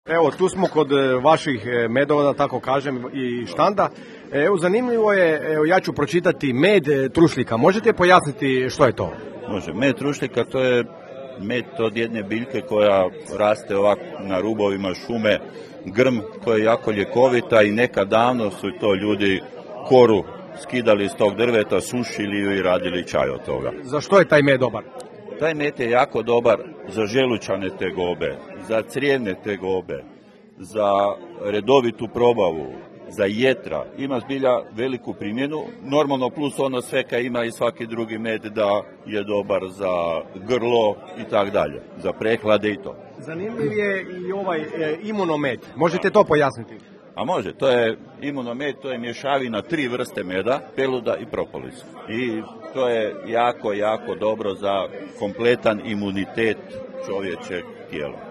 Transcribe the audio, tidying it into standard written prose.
Evo, tu smo kod vaših medova, da tako kažem, i štanda. Evo, zanimljivo je, evo, ja ću pročitati med trušljika. Možete pojasniti što je to? Može. Med trušljika to je med od jedne biljke koja raste ovako na rubovima šume, grm koja je jako ljekovita i nekad davno su to ljudi koru skidali iz tog drveta, sušili ju i radili čaj od toga. Za što je taj med dobar? Taj med je jako dobar za želučane tegobe, za crijevne tegobe, za redovitu probavu, za jetra. Ima zbilja veliku primjenu, normalno plus ono sve kaj ima i svaki drugi med da je dobar za grlo i tak dalje, za prehlade i to. Zanimljiv je i ovaj imunomed. Možete to pojasniti? A može, to je imunomed, to je mješavina 3 vrste meda, peluda i propolis. I to je jako, jako dobro za kompletan imunitet čovječeg tijela.